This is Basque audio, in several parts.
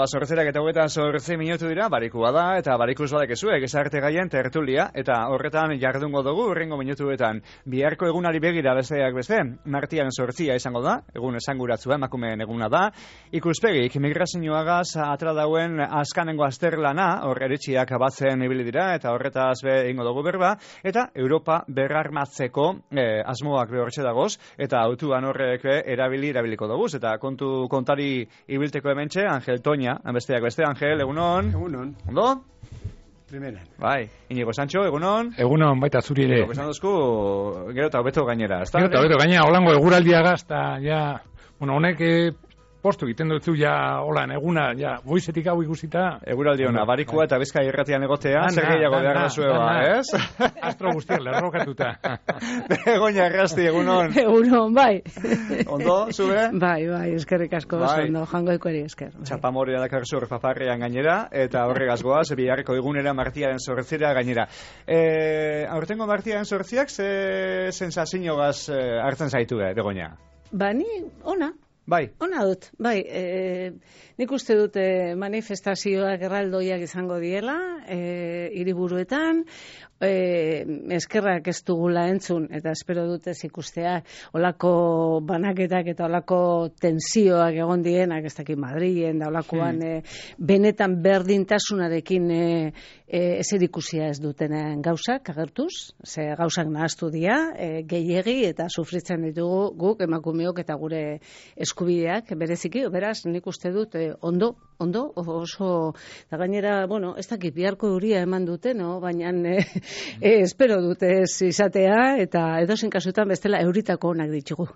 zortzerak eta 28 minutu dira, barikua da, eta barikuz badekezuek, esarte gaien tertulia, eta horretan jardungo dugu, urrengo minutuetan. Biharko egunari begira besteak beste, martian zortzia izango da, egun esanguratzua, emakumeen eguna da, ikuspegik, migrazioagaz atra dauen azkanengo azterlana, hor eritxiak batzen ibili dira, eta horretaz be ingo dugu berba, eta Europa berrarmatzeko asmoak behortxe dagoz, eta autuan horrek erabiliko dugu, eta kontari ibilteko hementxe, Angel Toña, besteak beste, Angel, egunon? Egunon. Ondo? Primeran. Bai, Inigo Sancho, egunon? Egunon, baita zuri ere. Esan duzku, gero eta hobeto gainera, ezta? Gero eta hobeto gainera, holango eguraldiagaz, eta ja, honek postu egiten dutzu ja, holan, eguna, ja, goizetik hau ikusita. Eguraldi hona, barikua eta Bizkai irratian egotea, zer gehiago behar dezueba, ez? Astro guztiak, lerrokatuta. Begoña Errasti, egunon? Egunon, bai. Ondo, zube? Bai, eskerrik asko, ondo, jango ikueri esker. Txapamoria dakarzu paparrean gainera, eta horregaz goaz, biharreko egunera martiaren zortzera gainera. Aurtengo martiaren zortziak, ze sensazioagaz hartzen zaitu, Begoña? Ba, ni, ona. Bai. Ona dut, bai. Nik uste dut manifestazioak erraldoiak izango diela, hiriburuetan, eskerrak ez dugula entzun, eta espero dut ez ikustea, olako banaketak eta olako tensioak egon dienak, ez dakit Madrilen, da olakoan benetan berdintasunarekin ezer ikusia ez dutenen gauzak agertuz, ze gauzak nahaztu dira, gehiegi eta sufritzen ditugu guk emakumeok eta gure eskubideak bereziki, beraz, nik uste dut ondo, oso, eta gainera, bueno, ez dakit biharko euria eman dute, no? Baina espero dute ez izatea, eta edozein kasutan bestela euritako onak ditugu.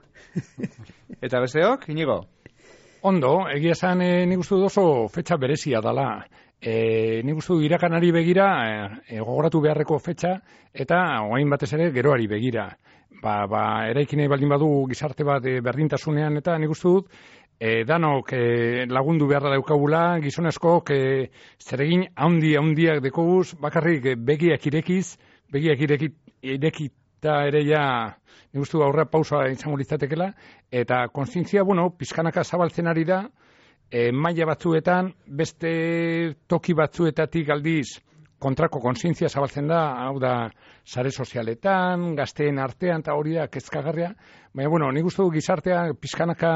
Eta besteok, Inigo? Ondo, egia esan nik uste dut oso fetxa berezia dela. Nik uste dut irakanari begira, gogoratu beharreko fetxa, eta orain batez ere geroari begira. Eraikinei baldin badu gizarte bat berdintasunean, eta nik uste dut, danok lagundu beharra daukagula, gizonezkoak zeregin handiak dekoguz, bakarrik begiak irekita ere ja, nik uste dut aurra pausa izango litzatekela, eta kontzientzia, pizkanaka zabaltzen ari da, maila batzuetan, beste toki batzuetatik aldiz, kontrako kontzientzia zabaltzen da, hau da, sare sozialetan, gazteen artean, eta hori da, kezkagarria, baina, nik uste dut gizartea pizkanaka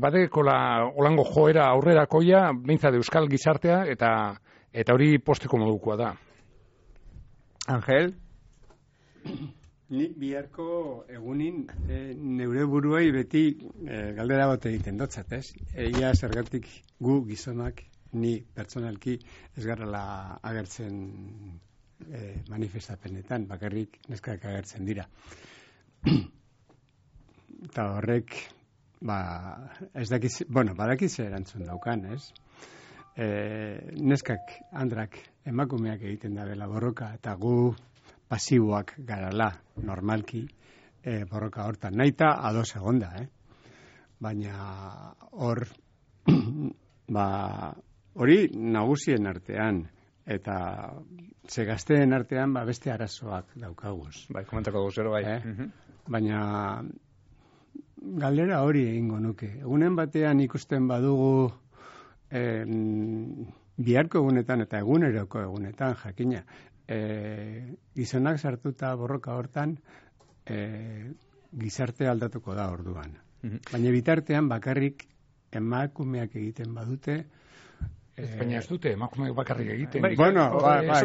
badekola holango joera aurrerakoia, behintzat euskal gizartea, eta hori posteko modukoa da. Angel? Ni biharko egunin neure buruei beti galdera bat egiten dotzat, ez? Egia zergatik gu gizonak, ni pertsonalki ez garrala agertzen manifestapenetan, bakarrik neskak agertzen dira. Eta horrek, ez dakiz, badakiz erantzun daukan, ez? Neskak, andrak, emakumeak egiten dabela borroka, eta gu pasiboak garala, normalki, borroka hortan. Naita ados egonda, Baina hor, hori nagusien artean, eta ze gazteen artean beste arazoak daukaguz. Bai, komentako guzero, bai. Baina galdera hori egingo nuke. Egunen batean ikusten badugu biharko egunetan eta eguneroko egunetan, jakina, gizonak sartuta borroka hortan gizarte aldatuko da orduan. Baina bitartean bakarrik emakumeak egiten badute, Baina ez dute, emakumeak bakarrik egiten.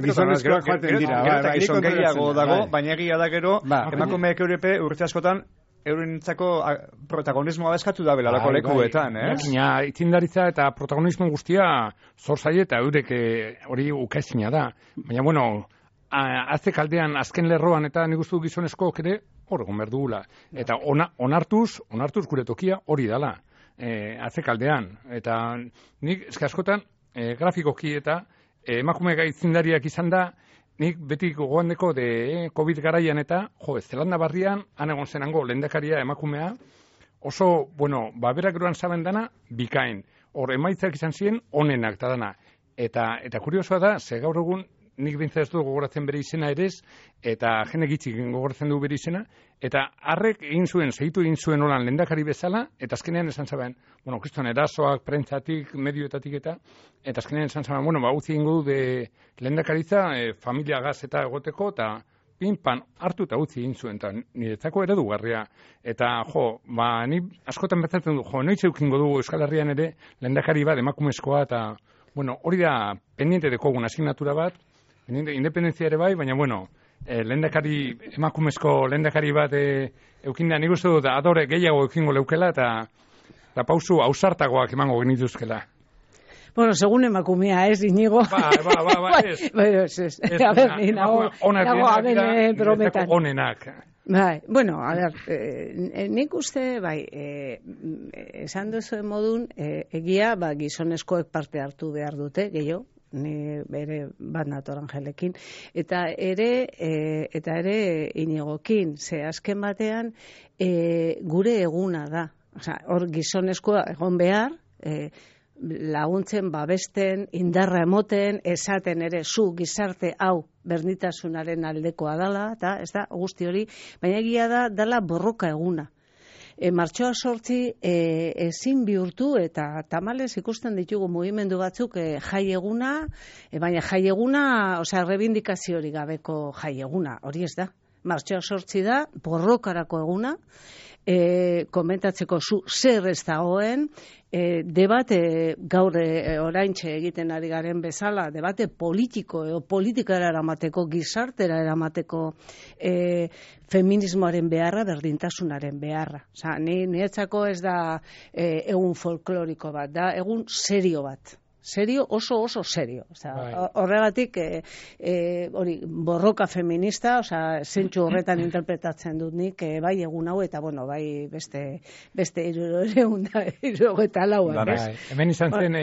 Gizonezkoak joaten dira. Gero gehiago dago, baina egia da gero, emakumeak eurepe urte askotan, eurentzako protagonismoa eskatu da belalako lekuetan, ez? Jakina, itzindaritza eta protagonismo guztia zor zaie eta eurek hori ukaezina da. Baina, azte kaldean, azken lerroan eta nik uste gizonezkoak ere hor egon behar dugula. Eta onartuz gure tokia hori dala. Azte kaldean. Eta nik askotan grafikoki eta emakume gaitzindariak izan da, nik beti gogoandeko COVID garaian eta, Zelanda barrian, han egon zenango lehendakaria emakumea, oso, berak geroan zaben dana, bikain. Hor, emaitzak izan ziren, onenak eta dana. Eta kuriosoa da, ze gaur egun, nik bintzat ez du gogoratzen bere izena ere ez, eta jende gitzik gogoratzen du bere izena, eta harrek segitu egin zuen holan lehendakari bezala, eta azkenean esan zaben, bueno, kriston erasoak, prentzatik, medioetatik eta azkenean esan zaben, bueno, utzi egingo du de lehendakaritza, familia gaz eta egoteko, eta pinpan hartu eta utzi egin zuen, eta niretzako eredugarria. Eta, ni askotan bezatzen du, noiz eukingo dugu Euskal Herrian ere lehendakari bat, emakumezkoa, eta, bueno, hori da pendiente dekogun asignatura bat, independentzia ere bai, baina, bueno, emakumezko lehendakari bat eukinda, nik uste dut adore gehiago eukingo leukela, eta pausu ausartagoak emango genituzkela. Bueno, segun emakumea, Inigo. Ez. A ver, ni nago brometan. Onenak. Bai, bueno, a ver, nik uste, esan duzuen modun, egia, gizonezkoek parte hartu behar dute, gehiago, ni bere bat nator Angelekin, eta ere Inigokin, ze azken batean gure eguna da. Osea, hor gizonezkoa egon behar, laguntzen, babesten, indarra emoten, esaten ere zu gizarte hau berdintasunaren aldekoa dala, eta ez da guzti hori, baina egia da dala borroka eguna. Martxoa 8 ezin bihurtu eta tamalez ikusten ditugu mugimendu batzuk jai eguna, baina jai eguna, osea, rebindikaziorik gabeko jai eguna, hori ez da. Martxoa 8 da, borrokarako eguna, komentatzeko zer ez dagoen, debate gaur oraintxe egiten ari garen bezala, debate politiko edo politikara eramateko, gizartera eramateko feminismoaren beharra, berdintasunaren beharra. Osa, niretzako ez da egun folkloriko bat, da egun serio bat. Serio, oso serio. Horregatik, hori, borroka feminista, zentsu horretan interpretatzen dut nik, bai egun hau, eta bueno, bai beste 394. Hemen izan zen,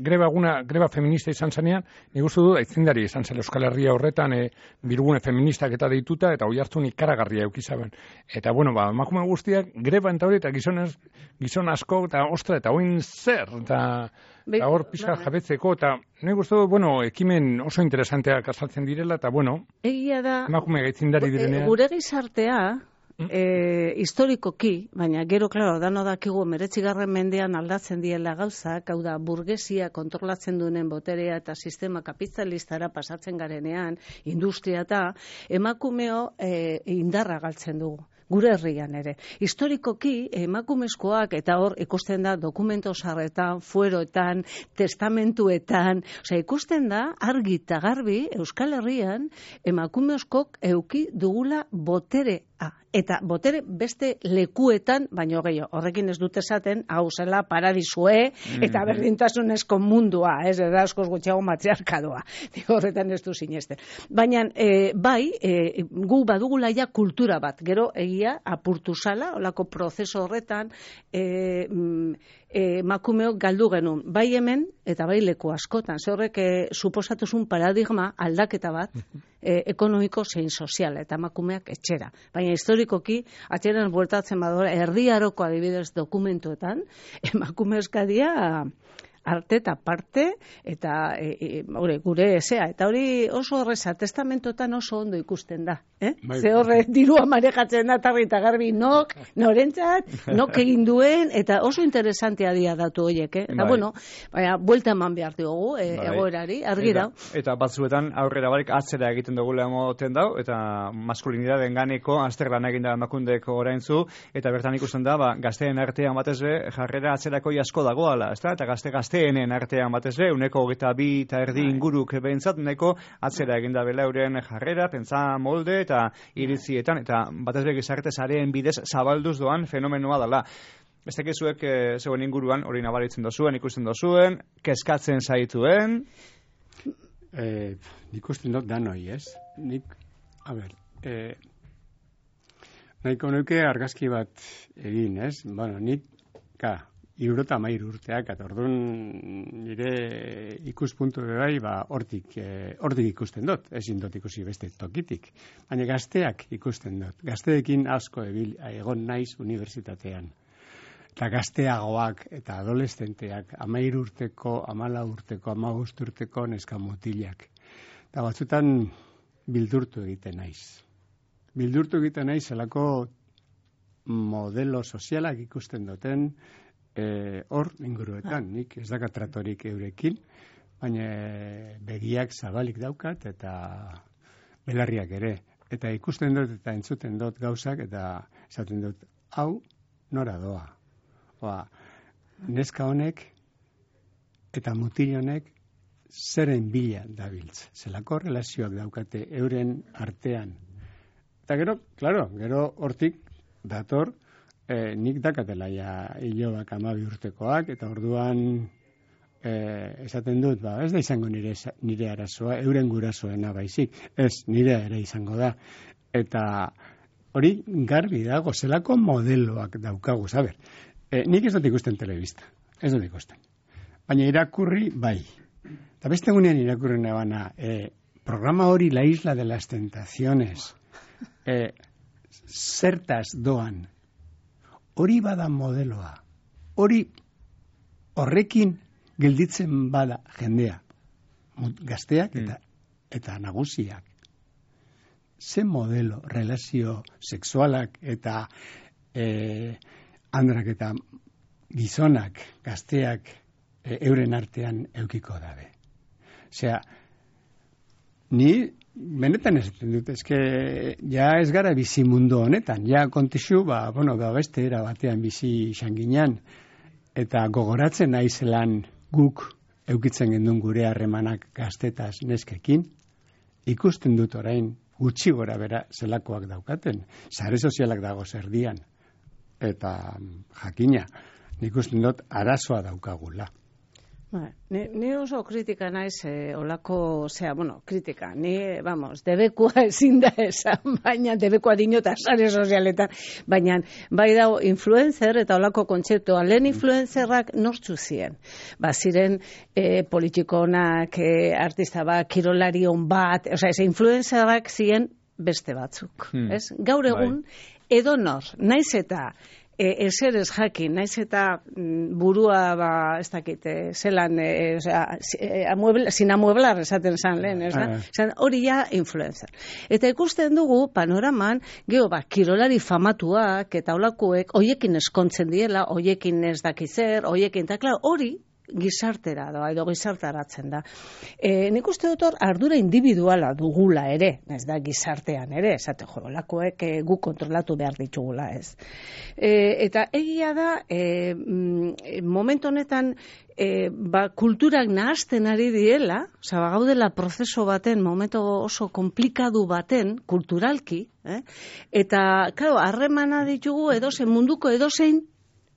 greba feminista izan zenean, nik uste du, aitzindari izan zen Euskal Herria horretan, birgune feministak eta deituta, eta hoi hartu ikaragarria eukizaben. Eta bueno, emakume guztiak, greba eta hori, eta gizon asko, eta ostra, eta oin zer, eta hor pixka jabetzeko, eta nahi guztu, ekimen oso interesanteak azaltzen direla, eta egia da, emakume gaitzindari direnean. Gure gizartea, historikoki, baina gero, klaro, dano dakigu 19. mendean aldatzen diela gauzak, hau da, burgesia kontrolatzen duenen boterea eta sistema kapitalistara pasatzen garenean, industria eta emakumeo indarra galtzen dugu. Gure herrian ere. Historikoki, emakumezkoak, eta hor ikusten da dokumento sarretan, fueroetan, testamentuetan, ikusten da argi eta garbi Euskal Herrian emakumezkok euki dugula boterea. Eta botere beste lekuetan, baino gehiago, horrekin ez dut esaten, hau zela paradisue eta berdintasunezko mundua, ez da askoz gutxiago matriarkadoa. Horretan ez du sinesten. Baina, gu badugula ja kultura bat, gero egia apurtu zala, olako prozeso horretan, emakumeok galdu genuen, bai hemen eta bai leku askotan. Ze horrek suposatuzun paradigma aldaketa bat, ekonomiko zein sozial, eta emakumeak etxera. Baina historikoki, atxeran bueltatzen badora, erdiaroko adibidez dokumentuetan, emakume eskadia arte eta parte, eta gure ezea. Eta hori oso horreza, testamentotan oso ondo ikusten da. Ze horre dirua marejatzen da, tarri eta garbi, norentzat, egin duen, eta oso interesantea dia datu horiek. Eta baina, buelta eman behar diogu, egoerari, argi dau. Eta batzuetan aurrera barik atzera egiten dugula emoten dau, eta maskulinitateen ganeko azterlan egin da emakundeko oraintzu, eta bertan ikusten da, gazteen artean batez be, jarrera atzerako asko dagoala, ezta? Eta gazteenen artean batez be, 22% inguruk behintzat, neko atzera egin da bela euren jarrera, pentsa molde eta iritzietan, eta batez be gizarte sareen bidez zabalduz doan fenomenoa dela. Beste kezuek zegoen inguruan hori nabaritzen dozuen, ikusten dozuen, kezkatzen zaituen? Nik usten dut danoi, ez? Nahiko nuke argazki bat egin, ez? Nik, 73 urteak, eta orduan nire ikuspuntu bai, hortik ikusten dut, ezin dut ikusi beste tokitik. Baina gazteak ikusten dut. Gazteekin asko egon naiz unibertsitatean. Eta gazteagoak eta adolescenteak, 13 urteko, 14 urteko, 15 urteko neska mutilak. eta batzutan bildurtu egiten naiz. Bildurtu egiten naiz zelako modelo sozialak ikusten duten hor inguruetan, nik ez dakat tratorik eurekin, baina begiak zabalik daukat eta belarriak ere. Eta ikusten dut eta entzuten dut gauzak eta esaten dut, hau nora doa. Neska honek eta mutil honek zeren bila dabiltz. Zelako relazioak daukate euren artean. Eta gero, gero hortik dator, nik dakatela ja hilobak 12 urtekoak, eta orduan esaten dut, ez da izango nire arazoa, euren gurasoena baizik, ez nire ere izango da. Eta hori garbi dago, zelako modeloak daukagu, zaber. Nik ez dut ikusten telebista, ez dut ikusten. Baina irakurri bai. Eta beste egunean irakurri nebana, programa hori La Isla de las Tentaciones, zertaz doan, hori bada modeloa, horrekin gelditzen bada jendea, gazteak eta nagusiak. Ze modelo, relazio sexualak eta andrak eta gizonak, gazteak euren artean eukiko dabe. Osea, ni benetan esaten dut, ja ez gara bizi mundu honetan, ja kontexu, beste era batean bizi izan ginean, eta gogoratzen naizelan guk eukitzen gendun gure harremanak gaztetaz neskekin, ikusten dut orain gutxi gora bera zelakoak daukaten, sare sozialak dago zerdian, eta jakina, nik usten dut arazoa daukagula. Ni oso kritika naiz olako, kritika, ni, debekua ezin da esan, baina debekua dinota sare sozialetan, baina bai dago influencer eta olako kontzeptua, lehen influencerrak nortzu ziren. Ziren politikonak, artista bat, kirolarion bat, influencerrak ziren beste batzuk. Gaur egun, edonor, naiz eta ezer ez jakin, naiz eta burua, ez dakit, zelan, sin amueblar esaten zan lehen, hori ja influencer. Eta ikusten dugu panoraman, kirolari famatuak eta olakuek, hoiekin eskontzen diela, hoiekin ez dakitzer, hoiekin, eta klar, hori gizartera da, edo gizartaratzen da. Nik uste dut hor ardura individuala dugula ere, ez da gizartean ere, esate lakoek gu kontrolatu behar ditugula, ez. Eta egia da, momentu honetan, kulturak nahasten ari diela, gaudela prozeso baten, momentu oso komplikadu baten, kulturalki, eta, klaro, harremana ditugu edozein munduko edozein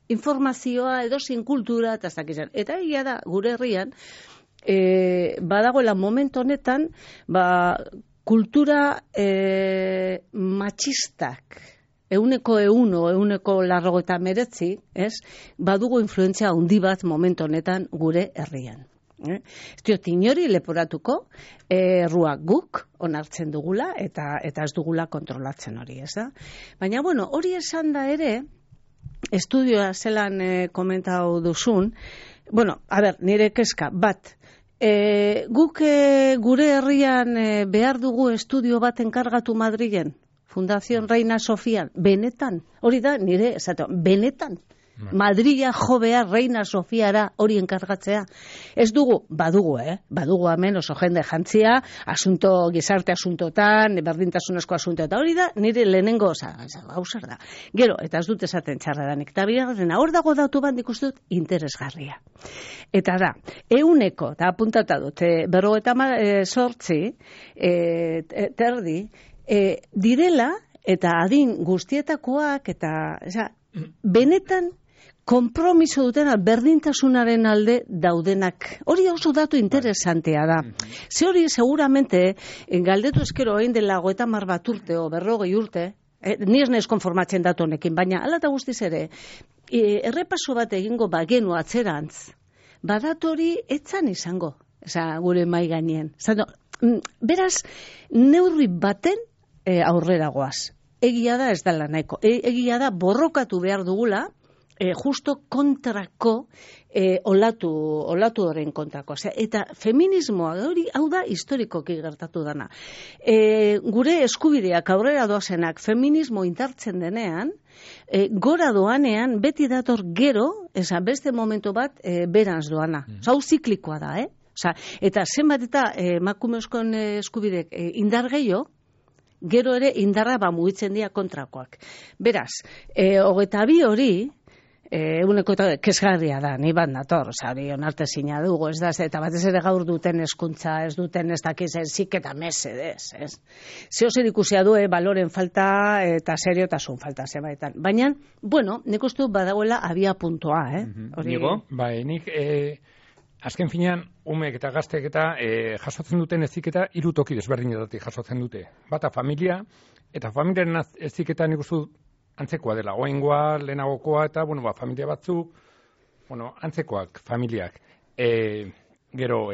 informazioa, edozein kultura, eta ez dakizan. Eta egia da, gure herrian, badagoela momentu honetan, kultura matxistak, 100% badugu influentzia handi bat momentu honetan gure herrian. Ez diot inori leporatuko, erruak guk onartzen dugula, eta ez dugula kontrolatzen hori, ez da? Baina, hori esan da ere, estudioa zelan komentau duzun, nire kezka, bat, guk gure herrian behar dugu estudio bat enkargatu Madrilen, Fundación Reina Sofia, benetan, hori da, nire, benetan, Madrila jo behar Reina Sofiara hori enkargatzea. Ez dugu, badugu hemen oso jende jantzia, gizarte asuntotan, berdintasunezko asuntotan, hori da, nire lehenengo, gauzar da. Gero, eta ez dut esaten txarradanik, eta bigarren, hor dago datu bat ikusten dut interesgarria. Eta da, 100, eta apuntata dut, 58 terdi, direla, eta adin guztietakoak, eta, benetan, konpromiso dutena berdintasunaren alde daudenak. Hori oso datu interesantea da. Ze hori seguramente galdetu eskero egin dela 30 bat urte o 40 urte, ni ez naiz konformatzen datu honekin, baina hala eta guztiz ere, errepaso bat egingo bagenu atzerantz, badatu hori etzan izango, gure mai gainien. Beraz, neurri baten aurrera goaz. Egia da ez dela nahiko. Egia da borrokatu behar dugula, justo kontrako olatu horren kontrako. Osea, eta feminismoa hau da historikoki gertatu dana. Gure eskubideak aurrera doazenak feminismo indartzen denean, gora doanean beti dator gero, beste momentu bat beranz doana. Hau ziklikoa da, eta zenbat eta emakumezkoen eskubidek indar gehiago, gero ere indarra mugitzen dira kontrakoak. Beraz, 22 hori, eguneko kesgarria da, ni bat nator, onarte zina dugu, ez da, eta batez ere gaur duten hezkuntza, ez duten ez dakiz zik eta mesedez, ez. Zeo zer ikusia du, baloren falta eta seriotasun falta zebaitan. Baina, bueno, nik uste badagoela abia puntua, Nigo? Bai, nik, azken finean, umek eta gaztek eta jasotzen duten eziketa 3 toki desberdinetatik jasotzen dute. Bata familia, eta familiaren eziketa nik uste antzekoa dela, oengoa, lehenagokoa, eta, familia batzuk, antzekoak, familiak. Gero,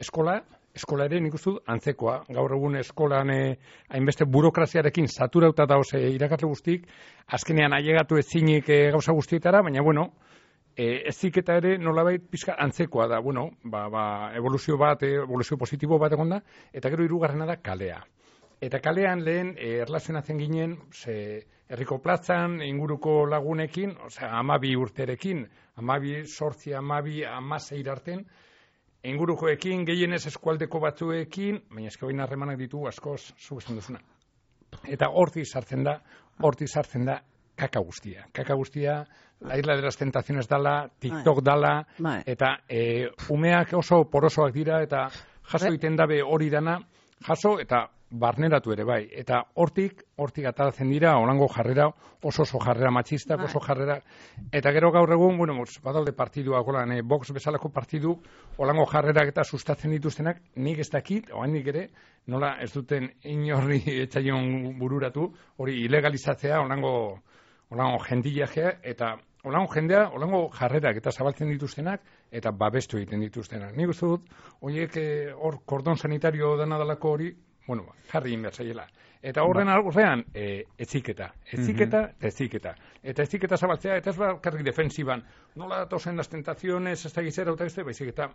eskola ere nik uste antzekoa. Gaur egun eskolan hainbeste burokraziarekin saturauta dauz irakasle guztik, azkenean ailegatu ezinik gauza guztietara, baina, eziketa ere nolabait pixka antzekoa da, evoluzio positibo bat egon da, eta gero 3. da kalea. Eta kalean lehen erlazionatzen ginen herriko plazan, inguruko lagunekin, 12 urterekin, 12, 8, 12, 16 arten, ingurukoekin, gehienez eskualdeko batzuekin, baina eskabain harremanak ditu askoz zugezen duzuna. Eta hortik sartzen da kaka guztia. Kaka guztia, la isla de las tentaciones dala, TikTok dala, eta umeak oso porosoak dira, eta jaso egiten dabe hori dana, jaso eta barneratu ere bai, eta hortik ataratzen dira, olango jarrera, oso jarrera matxistak, oso jarrera, eta gero gaur egun, badalde partiduak, Vox bezalako partidu, olango jarrerak eta sustatzen dituztenak, nik ez dakit, oainik ere, nola ez duten inorri etxaion bururatu, hori ilegalizatzea, olango jendiajea, eta olango jendea, olango jarrerak eta zabaltzen dituztenak, eta babestu egiten dituztenak. Nik uste dut, horiek hor kordon sanitario dana dalako hori, jarri inbertzaiela. Eta horren aurrean, eziketa. Eta eziketa zabaltzea, eta ez bakarrik defensiban. Nola datozen las tentaciones, ez da gizera, baizik eta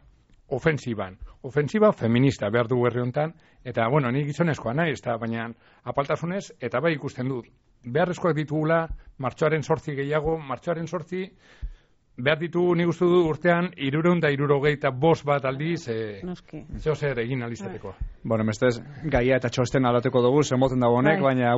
ofensiban. Ofensiba feminista behar du herri honetan, eta, ni gizonezkoa nahi, baina apaltasunez, eta bai ikusten dut. Beharrezkoak ditugula, martxoaren 8 gehiago, martxoaren 8 behar ditu nik uste du urtean 375 bat aldiz zeo zer egin alizateko. Bestez, gaia eta txosten aldatuko dugu, zenboten dago honek, baina,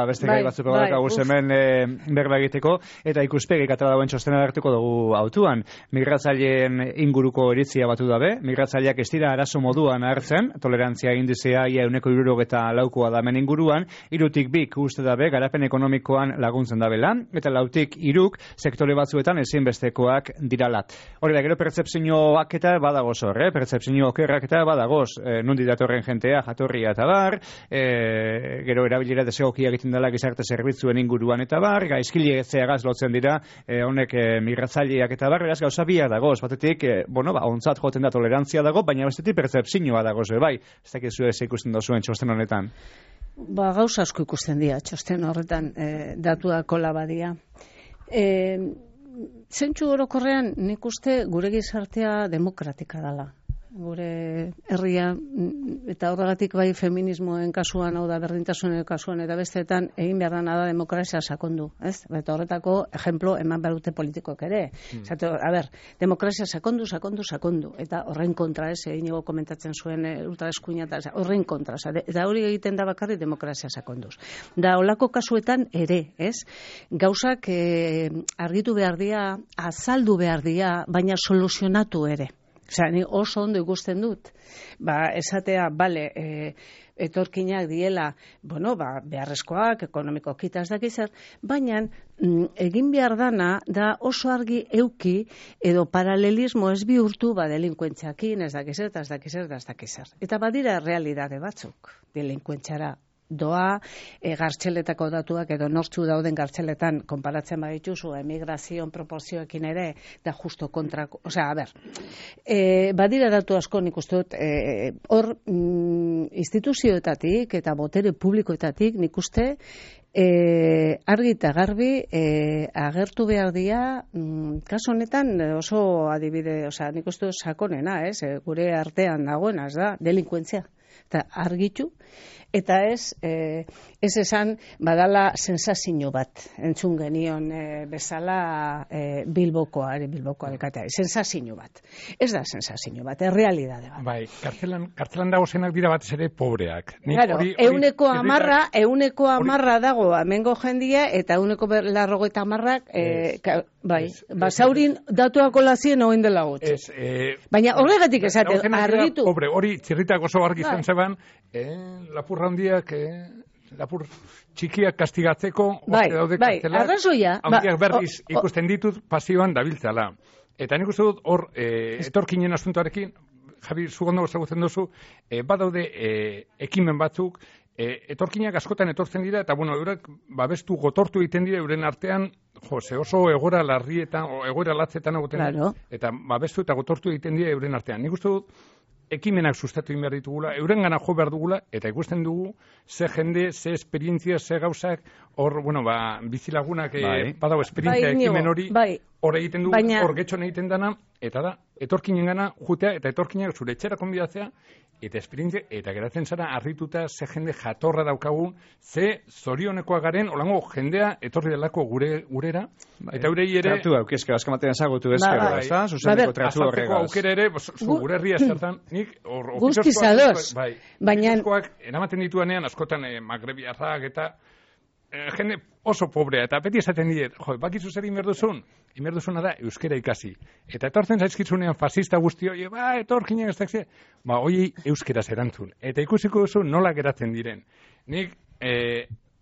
beste gai batzuko dakagu hemen berba egiteko, eta ikuspegi katara dagoen txostena hartuko dugu autuan. Migratzaileen inguruko iritzia batu dabe, migratzaileak ez dira arazo moduan hartzen, tolerantzia indizea ia 194 da hemen inguruan, 3 2 uste dabe, garapen ekonomikoan laguntzen dabela, eta 4 3 sektore batzuetan ezinbesteko diralat. Hori da, gero pertzepzioak eta badagoz hor, pertzepzio okerrak eta badagoz, nundi datorren jentea, jatorria eta bar, gero erabilera desegokia egiten dela gizarte zerbitzuen inguruan eta bar, gaizkileetzeagaz lotzen dira, honek migratzaileak eta bar, beraz gauza biak dagoz, batetik, ontzat joten da tolerantzia dago, baina bestetik pertzepzioa dagoz, bai, ez dakizu ez ikusten dozuen txosten honetan. Gauza asko ikusten dira, txosten horretan datuak kola badia. Zentsu orokorrean nik uste gure gizartea demokratika dela. Gure herria, eta horregatik bai feminismoen kasuan, hau da berdintasunen kasuan, eta besteetan egin behar dana da demokrazia sakondu, ez? Eta horretako ejemplo eman behar dute politikok ere. Demokrazia sakondu, eta horren kontra, ez? Inigo komentatzen zuen ultraeskuina, eta horren kontra, eta hori egiten da bakarrik demokrazia sakonduz. Da, holako kasuetan ere, ez? Gauzak argitu behar dira, azaldu behar dira, baina soluzionatu ere. Ni oso ondo ikusten dut, esatea, etorkinak diela, beharrezkoak, ekonomikoak ez dakizar, baina egin behar dana da oso argi euki edo paralelismo ez bihurtu delinkuentziakin, ez dakizar. Eta badira realidade batzuk delinkuentziara doa, gartxeletako datuak edo nortzu dauden gartxeletan konparatzen badituzu emigrazioen proporzioekin ere, da justo kontrako, osea, a ber, badira datu asko nik uste dut, hor instituzioetatik eta botere publikoetatik nik uste argi eta garbi agertu behar dira, kasu honetan oso adibide, osea, nik uste dut sakonena, gure artean dagoena, ez da, delinkuentzia, eta argitu, eta ez esan badala sensazio bat, entzun genion bezala Bilboko alkatea, sensazio bat. Ez da sensazio bat, errealidade bat. Bai, kartzelan dago zenak dira batez ere pobreak. Claro, euneko amarra dago amengo jendia, eta euneko 90, bai, basaurin datuako lazien oin dela gutxi. Baina horregatik esate, argitu. Pobre, hori txirritak oso argi izan zeban, lapurra handiak, lapur txikiak kastigatzeko, daude kartzelak, arrazoia. Handiak berriz ikusten ditut pasioan dabiltzala. Eta nik uste dut hor, etorkinen asuntoarekin, Javi, zugondo ezagutzen duzu, badaude ekimen batzuk, etorkinak askotan etortzen dira, eta bueno, eurak babestu gotortu egiten dira euren artean, oso egoera larrietan, egoera latzetan egoten, claro. Eta babestu eta gotortu egiten dira euren artean. Nik uste dut, ekimenak sustatu behar ditugula, eurengana jo behar dugula, eta ikusten dugu, ze jende, ze esperientzia, ze gauzak, hor, bizilagunak badau esperientzia ekimen hori, hor egiten dugu, hor getxon egiten dana, eta da, etorkinen gana jutea, eta etorkinak zure etxera konbidatzea, eta esperientzia, eta geratzen zara harrituta ze jende jatorra daukagun, ze zorionekoa garen, olango jendea etorri delako gurera, eta eurei ere... Tratu aukezke, azkamatean ezagutu ezkero, ez da? Zuzeneko tratu horregaz. Aukera ere, gure herria zertan, nik... Guztizadoz. Ofiziozkoak eramaten dituanean, askotan magrebiarrak eta... jende oso pobrea, eta beti esaten diet, bakizu zer inberduzun? Inberduzuna da euskera ikasi. Eta etortzen zaizkitzunean fascista guzti hori, etorkinak ez dakze, hori euskeraz erantzun. Eta ikusiko duzu nola geratzen diren. Nik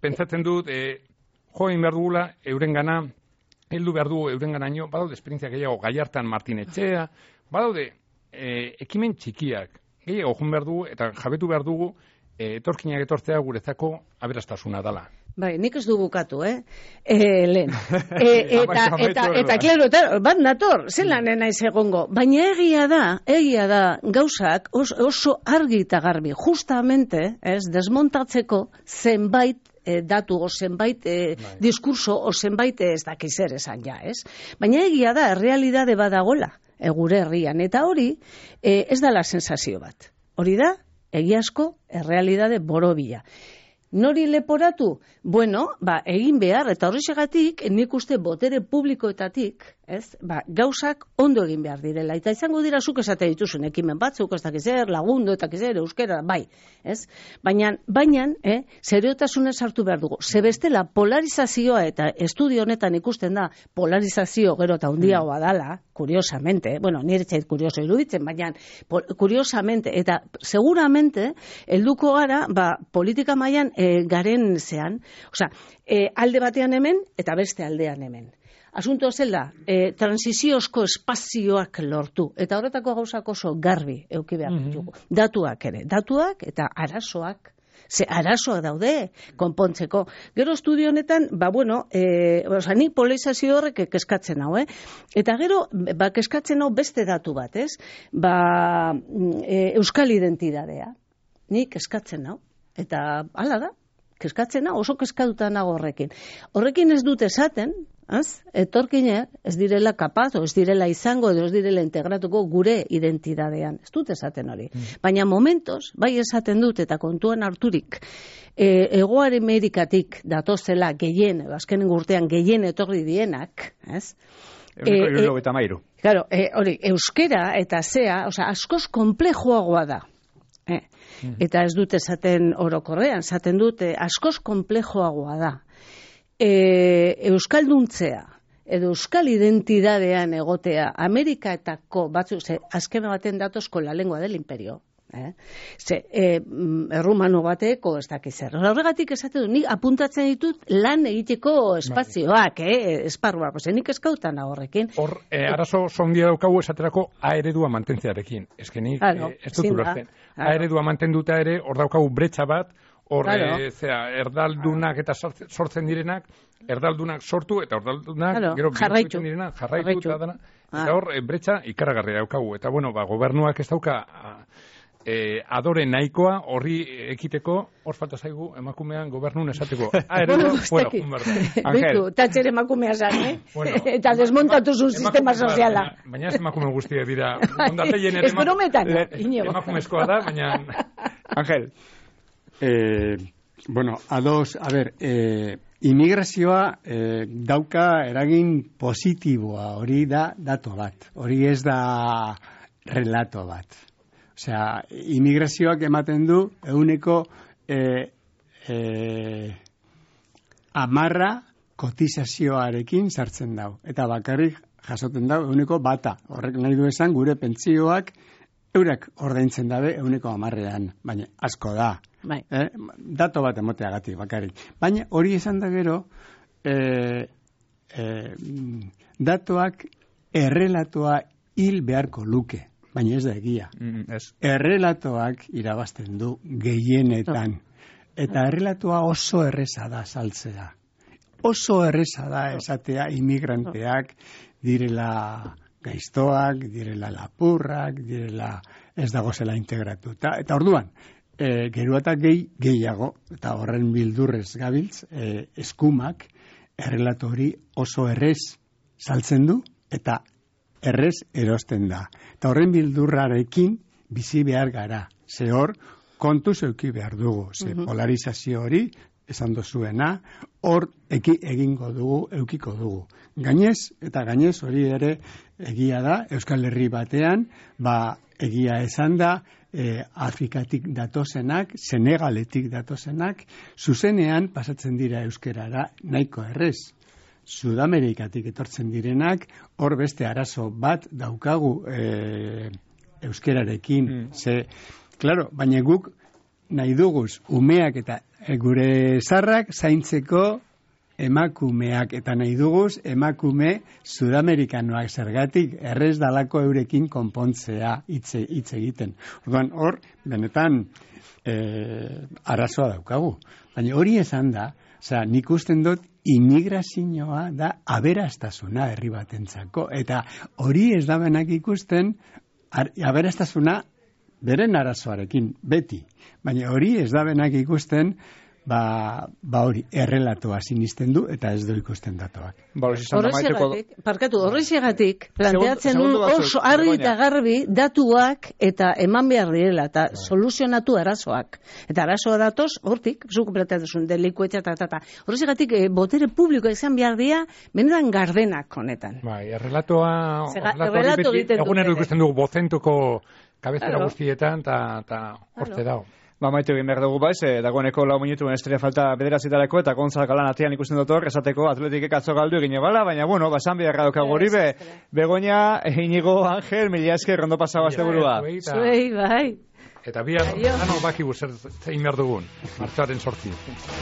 pentsatzen dut, behar dugula eurengana, heldu behar dugu eurenganaino, badaude esperientzia gehiago Gallartan Martin Etxea, badaude ekimen txikiak, gehiago joan behar dugu, eta jabetu behar dugu, etorkinak etortzea guretzako aberastasuna dala. Bai, nik ez du bukatu, lehen. Eta, klaro, bat nator, zelan naiz egongo. Baina egia da, gauzak oso argi eta garbi, justamente, desmontatzeko zenbait datu, o zenbait diskurso, o zenbait ez dakizer esan ja, Baina egia da, realidade badagola, gure herrian, eta hori ez dala sensazio bat. Hori da, egiazko, realidade borobila. Nori leporatu? Bueno, egin behar, eta horrexegatik, nik uste botere publikoetatik, gauzak ondo egin behar direla. Eta izango dira zuk esate dituzun ekimen batzuk, ez dakizer, lagundu, eta dakizer, euskera, bai. Baina, seriotasunez hartu behar dugu. Zebestela, polarizazioa, eta estudio honetan ikusten da, polarizazio gero eta hundiagoa dala, kuriosamente, nire txait kurioso iruditzen, baina kuriosamente, eta seguramente, helduko gara, politika mailan garen zean, alde batean hemen, eta beste aldean hemen. Asunto zela, transiziozko espazioak lortu, eta horretako gauzak oso garbi euki behar ditugu. Datuak ere, datuak eta arazoak, ze arazoak daude konpontzeko. Gero estudio honetan, nik polarizazio horrek keskatzen hau, eta gero, keskatzen hau beste datu bat, euskal identidadea. Nik keskatzen hau, eta hala da, keskatzen hau, oso keskatuta nago horrekin. Horrekin ez dut esaten, etorkinak ez direla kapaz, ez direla izango, edo ez direla integratuko gure identidadean. Ez dut esaten hori. Baina momentos, bai esaten dut, eta kontuan harturik, Hegoare Amerikatik datozela gehien, azkenen urtean gehien etorri dienak, Claro, hori, euskera eta zea, askoz komplejoagoa da. Eta ez dut esaten orokorrean, esaten dut askoz komplejoagoa da. Euskalduntzea edo euskal identidadean egotea Ameriketako batzuk, azken baten datozko la lengua del imperio. Errumano bateko ez dakizer. Horregatik esate du, nik apuntatzen ditut lan egiteko espazioak, esparruak, nik eskautan horrekin. Hor, arazo zondia daukagu esaterako A eredua mantentzearekin. Ez nik ez dut ulertzen. A eredua mantenduta ere, hor daukagu bretxa bat, hor, Claro. erdaldunak eta sortzen direnak, erdaldunak sortu eta erdaldunak Claro, jarraitu. direnak jarraitu eta dana. Ah. Eta hor, bretxa ikaragarria daukagu. Eta bueno, gobernuak ez dauka adore nahikoa horri ekiteko, hor falta zaigu emakumean gobernun esateko. Bueno, Bueno, Bitu, tatxer emakumea zan, Bueno, eta desmontatu zuen sistema soziala. Baina ez emakume guztia dira. Ondateien ere Ez brometan, Iñigo. emakumezkoa da, baina... Ángel. Bueno, a ver, inmigrazioa dauka eragin positiboa, hori da dato bat, hori ez da relato bat. Osea, inmigrazioak ematen du eguneko 10 kotizazioarekin sartzen dau. Eta bakarrik jasoten dau eguneko 1. Horrek nahi du esan gure pentsioak eurak ordaintzen dabe eguneko 10ean, baina asko da. Bai. Dato bat emoteagatik bakarrik. Baina hori esan da gero, datoak errelatoa hil beharko luke. Baina ez da egia. Errelatoak irabazten du gehienetan. Eta errelatoa oso erreza da saltzea. Oso erreza da esatea inmigranteak direla gaiztoak, direla lapurrak, direla ez dagozela integratuta. Eta orduan, geroa eta gehiago, eta horren bildurrez gabiltz, eskumak errelato hori oso errez saltzen du, eta errez erosten da. Eta horren bildurrarekin bizi behar gara. Ze hor, kontuz euki behar dugu. Ze polarizazio hori, esan dozuena, hor egingo dugu, eukiko dugu. Gainez, eta gainez hori ere egia da, Euskal Herri batean, egia esan da, Afrikatik datozenak, Senegaletik datozenak, zuzenean pasatzen dira euskerara nahiko errez. Sudamerikatik etortzen direnak, hor beste arazo bat daukagu euskerarekin. Claro, baina guk nahi duguz umeak eta gure zarrak zaintzeko emakumeak, eta nahi duguz emakume sudamerikanoak zergatik errez dalako eurekin konpontzea hitz egiten. Orduan, hor, benetan arazoa daukagu. Baina hori esan da, nik usten dut immigrazioa da aberastasuna herri batentzako. Eta hori ez da benak ikusten aberastasuna beren arazoarekin, beti. Baina hori ez da benak ikusten hori errelatoa sinisten du eta ez du ikusten datoak. Horrexegatik planteatzen du oso argi eta garbi datuak eta eman behar direla eta soluzionatu arazoak. Eta arazoa datoz, hortik, zuko planteatzen delikuetxa eta horrexegatik botere publikoa izan behar dira benetan gardenak honetan. Bai, errelatoa egunero ikusten dugu bozentuko kabezera guztietan eta hortze dago. Maitu egin behar dugu dagoeneko 4 minutuen estrella falta bederatzitarako, eta Gonzalo Galan atian ikusten dut hor, esateko Atletikek atzo galdu egine bala, baina bueno, basan beharra daukagu hori Begoña, Iñigo, Ángel, mila esker, ondo pasau asteburua. Zuei, bai. Eta bihar, baki zer zein behar dugun, martxoaren 8.